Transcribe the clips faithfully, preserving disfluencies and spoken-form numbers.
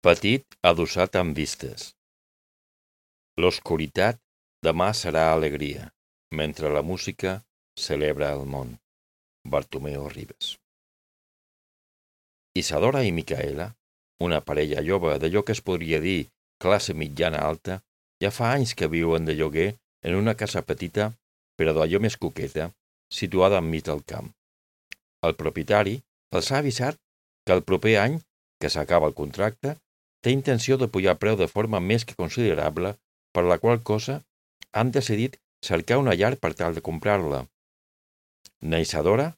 Petit adossat amb vistes. L'oscuritat demà serà alegria, mentre la música celebra el món. Bartomeu Ribes. Isadora i Micaela, una parella jove d'allò que es podria dir classe mitjana alta, ja fa anys que viuen de lloguer en una casa petita, però d'allò més coqueta, situada enmig del camp. El propietari els ha avisat que el proper any, que s'acaba el contracte, té intenció de pujar preu de forma més que considerable, per la qual cosa han decidit cercar una llar per tal de comprar-la. Na Isadora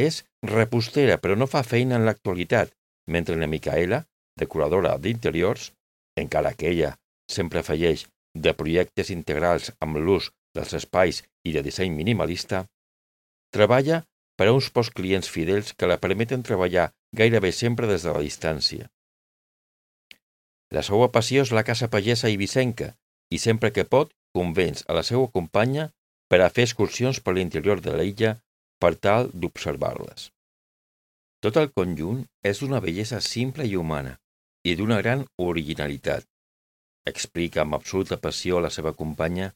és repostera, però no fa feina en l'actualitat, mentre na Micaela, decoradora d'interiors, encara que ella sempre afegeix de projectes integrals amb l'ús dels espais i de disseny minimalista, treballa per a uns pocs clients fidels que la permeten treballar gairebé sempre des de la distància. La seva passió és la caça pagesa eivissenca i sempre que pot convenç a la seva companya per a fer excursions per l'interior de l'illa per tal d'observar-les. Tot el conjunt és d'una bellesa simple i humana i d'una gran originalitat, explica amb absoluta passió la seva companya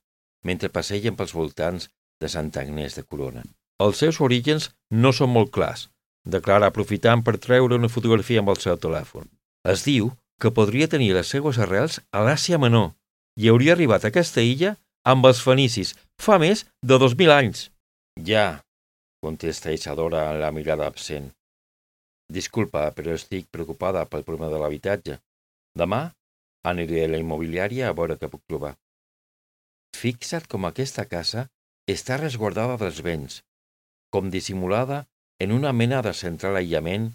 mentre passegen pels voltants de Santa Agnès de Corona. Els seus orígens no són molt clars, declara aprofitant per treure una fotografia amb el seu telèfon. Es diu que podria tenir les seues arrels a l'Àsia Menor i hauria arribat a aquesta illa amb els fenicis fa més de dos mil anys. Ja, contesta Isadora amb la mirada absent. Disculpa, però estic preocupada pel problema de l'habitatge. Demà aniré a la immobiliària a veure què puc trobar. Fixa't com aquesta casa està resguardada dels vents, com dissimulada en una mena de central aïllament,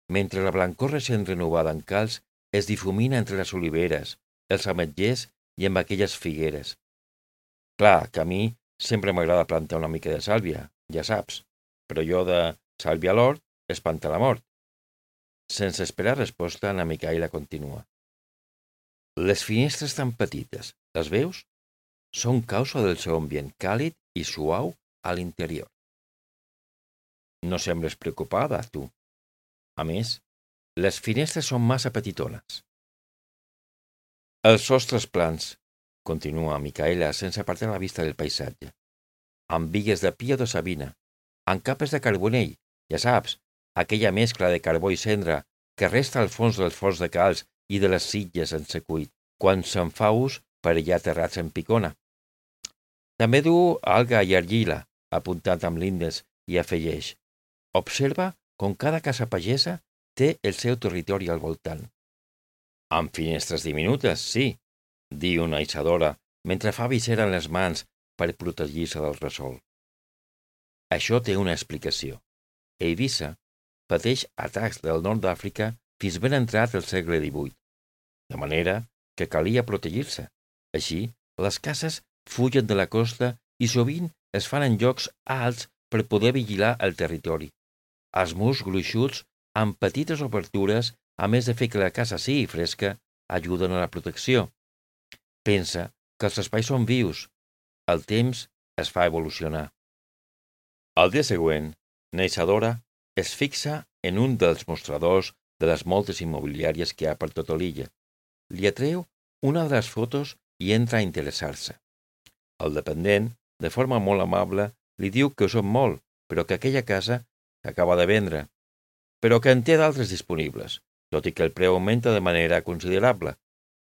mentre la blancor recent renovada en calç es difumina entre les oliveres, els ametllers i amb aquelles figueres. Clar que a mi sempre m'agrada plantar una mica de sàlvia, ja saps, però jo de sàlvia a l'hort espanta la mort. Sense esperar resposta, na Micaela continua. Les finestres tan petites, les veus? Són causa del seu ambient càlid i suau a l'interior. No sembles preocupada, tu. A més, les finestres són massa petitones. Els sostres plans, continua Micaela sense apartar la vista del paisatge, amb bigues de pia de savina, amb capes de carbonell, ja saps, aquella mescla de carbó i cendra que resta al fons dels forns de calç i de les sitges en secuit, quan se'n fa ús per allà terrats en picona. També du alga i argila, apuntant amb l'índex, i afegeix. Observa com cada casa pagesa té el seu territori al voltant. Amb finestres diminutes, sí, diu una Isadora, mentre fa visera en les mans per protegir-se del resol. Això té una explicació. Eivissa pateix atacs del nord d'Àfrica fins ben entrat el segle divuit, de manera que calia protegir-se. Així, les cases fugen de la costa i sovint es fan en llocs alts per poder vigilar el territori. Els murs gruixuts, amb petites obertures, a més de fer que la casa sigui fresca, ajuden a la protecció. Pensa que els espais són vius. El temps es fa evolucionar. Al dia següent, na Isadora es fixa en un dels mostradors de les moltes immobiliàries que hi ha per tota l'illa. Li atreu una de les fotos i entra a interessar-se. El dependent, de forma molt amable, li diu que ho són molt, però que aquella casa s'acaba de vendre, però que en té d'altres disponibles, tot i que el preu augmenta de manera considerable.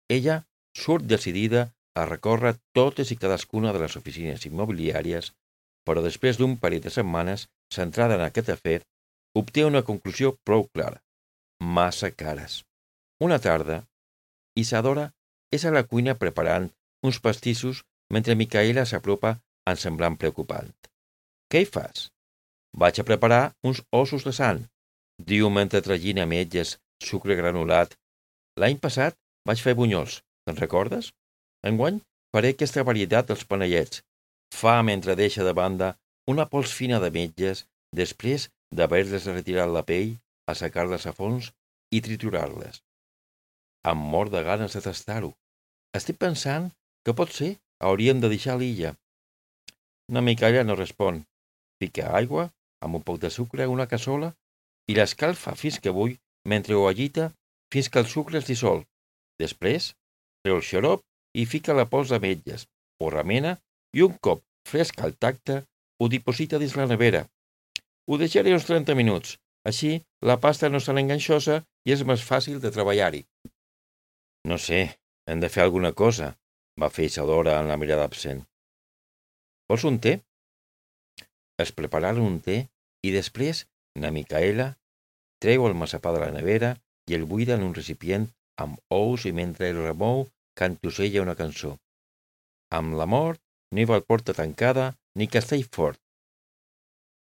Ella surt decidida a recórrer totes i cadascuna de les oficines immobiliàries, però després d'un parell de setmanes centrada en aquest afer, obté una conclusió prou clara. Massa cares. Una tarda, Isadora és a la cuina preparant uns pastissos mentre Micaela s'apropa en semblant preocupant. Què hi fas? Vaig a preparar uns ossos de sant, diu mentre tragina ametlles, sucre granulat. L'any passat vaig fer bunyols, te'n recordes? Enguany faré aquesta varietat dels panellets. Fa mentre deixa de banda una pols fina d'ametlles després d'haver-les retirat la pell, assecar-les a fons i triturar-les. Em mor de ganes de tastar-ho. Estic pensant que potser hauríem de deixar l'illa. Na Micaela no respon. Fica aigua amb un poc de sucre a una cassola i l'escalfa fins que bull mentre ho agita fins que el sucre es dissol. Després, treu el xarop i fica la pols d'ametlles, ho remena i un cop fresc al tacte ho diposita dins la nevera. Ho deixaré uns trenta minuts, així la pasta no és tan enganxosa i és més fàcil de treballar-hi. No sé, hem de fer alguna cosa, va fer Isadora amb la mirada absent. Vols un te? Es prepararen un te i després na Micaela treu el massapà de la nevera i el buida en un recipient amb ous i mentre el remou cantussella una cançó. Amb la mort no hi va porta tancada ni castell fort.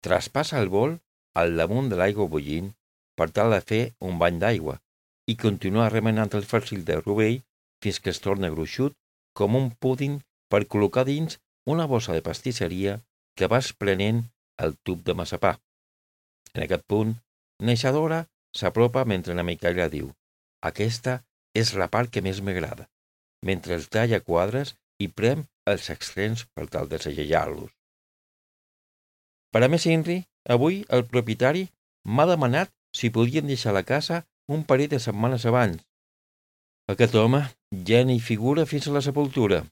Traspassa el bol al damunt de l'aigua bullint per tal de fer un bany d'aigua i continua remenant el farcil de rovell fins que es torna gruixut com un púding per col·locar dins una bossa de pastisseria que va esprenent el tub de massapà. En aquest punt, na Isadora s'apropa mentre na Micaela diu: «Aquesta és la part que més m'agrada», mentre els talla quadres i prem els extrems per tal de segellar-los. Per a més inri, avui el propietari m'ha demanat si podien deixar la casa un parell de setmanes abans. Aquest home ja n'hi figura fins a la sepultura.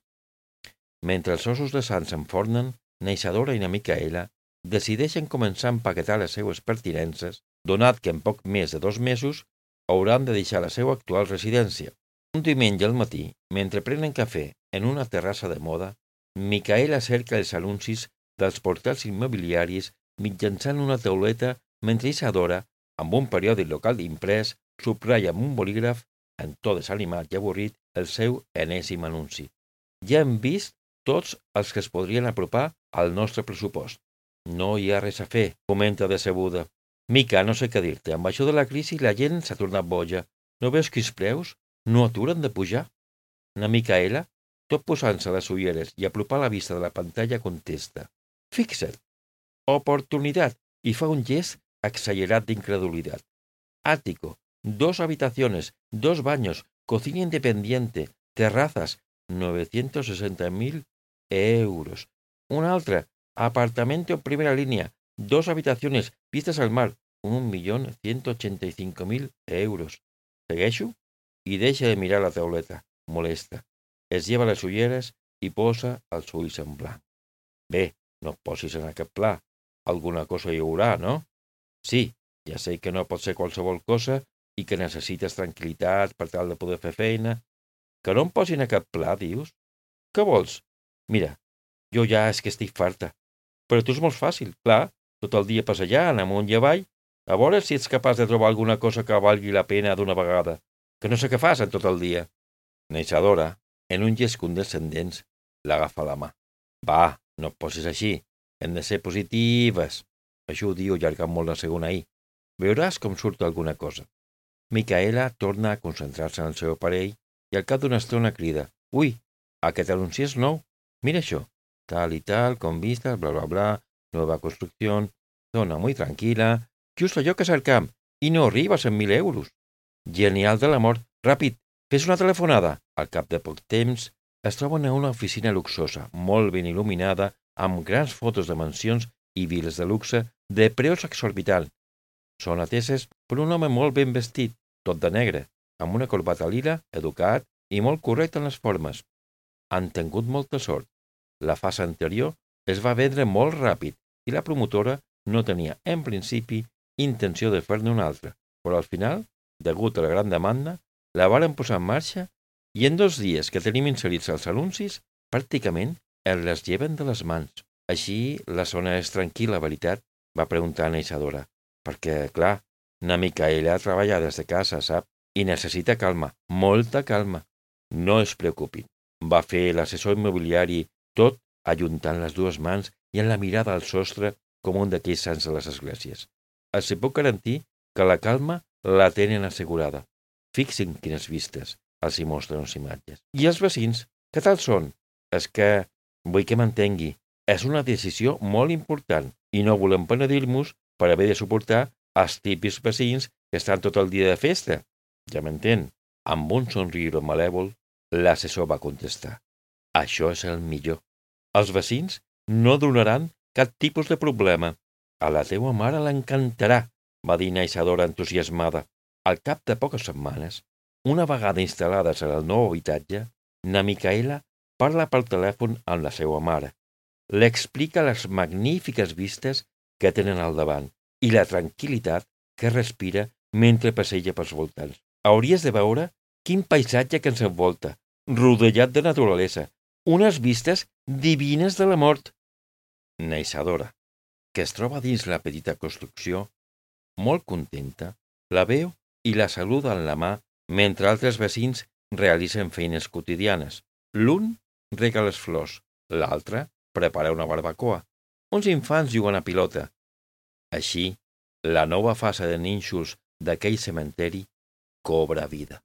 Mentre els ossos de sant s'enfornen, na Isadora i na Micaela decideixen començar a empaquetar les seues pertinences, donat que en poc més de dos mesos hauran de deixar la seva actual residència. Un diumenge al matí, mentre prenen cafè en una terrassa de moda, Micaela cerca els anuncis dels portals immobiliaris mitjançant una tauleta mentre Isadora, amb un periòdic local imprès, subratlla amb un bolígraf, en to desanimat i avorrit, el seu enèsim anunci. Ja hem vist tots els que es podrien apropar al nostre pressupost. No hi ha res a fer, comenta decebuda. Mica, no sé què dir-te, amb això de la crisi la gent s'ha tornat boja. No veus que els preus no aturen de pujar? Na Micaela, tot posant-se les ulleres i apropar la vista de la pantalla, contesta: «Fixa't, oportunitat», i fa un gest exagerat d'incredulitat. Ático, dos habitaciones, dos baños, cocina independiente, terrazas, novecientos sesenta mil euros. Una altra, apartamento en primera línea, dos habitaciones, vistas al mar, un millón ciento ochenta y cinco mil euros. Segueixo? I deixa de mirar la tauleta, molesta. Es lleva les ulleres i posa els ulls en blanc. Bé, no et posis en aquest pla. Alguna cosa hi haurà, no? Sí, ja sé que no pot ser qualsevol cosa i que necessites tranquil·litat per tal de poder fer feina. Que no em posi en aquest pla, dius? Què vols? Mira, jo ja és que estic farta. Però tu és molt fàcil, clar, tot el dia passejant amunt i avall, a veure si ets capaç de trobar alguna cosa que valgui la pena d'una vegada, que no sé què fas en tot el dia. Na Isadora, en un gest condescendent, l'agafa la mà. Va, no et posis així, hem de ser positives. Això ho diu allargant molt la segona I. Veuràs com surt alguna cosa. Micaela torna a concentrar-se en el seu aparell i al cap d'una estona crida: «Ui, aquest anunci és nou. Mira això. Tal y tal, con vistas, bla, bla, bla, nueva construcción, zona muy tranquila, just allò que cercam, i no arriba a cent mil euros. Genial de l'amor. Ràpid, fes una telefonada». Al cap de poc temps es troben a una oficina luxosa, molt ben il·luminada, amb grans fotos de mansions i viles de luxe de preus exorbitants. Són ateses per un home molt ben vestit, tot de negre, amb una corbata lila, educat i molt correcte en les formes. Han tingut molta sort. La fase anterior es va vendre molt ràpid i la promotora no tenia, en principi, intenció de fer-ne una altra, però al final, degut a la gran demanda, la varen posar en marxa i en dos dies que tenim inserits els anuncis, pràcticament els les lleven de les mans. Així, la zona és tranquil·la, veritat? Va preguntar na Isadora. Perquè, clar, na Micaela treballa des de casa, sap? I necessita calma, molta calma. No es preocupin. Va fer l'assessor immobiliari tot ajuntant les dues mans i en la mirada al sostre com un d'aquells sants de les esglésies. Els puc garantir que la calma la tenen assegurada. Fixin quines vistes els hi mostren les imatges. I els vecins, què tal són? És que, vull que m'entengui, és una decisió molt important i no volem penedir-nos per haver de suportar els típics vecins que estan tot el dia de festa. Ja m'entén? Amb un somriure malèvol, l'assessor va contestar: «Això és el millor. Els vecins no donaran cap tipus de problema. A la teua mare l'encantarà», va dir na Isadora entusiasmada. Al cap de poques setmanes, Una vegada instal·lades en el nou habitatge, na Micaela parla pel telèfon amb la seva mare. L'explica les magnífiques vistes que tenen al davant i la tranquil·litat que respira mentre passeja pels voltants. Hauries de veure quin paisatge que ens envolta, rodellat de naturalesa, unes vistes divines de la mort. Na Isadora, que es troba dins la petita construcció, molt contenta, la veu i la saluda amb la mà mentre altres vecins realitzen feines quotidianes. L'un rega les flors, l'altre prepara una barbacoa. Uns infants juguen a pilota. Així, la nova fase de nínxols d'aquell cementeri cobra vida.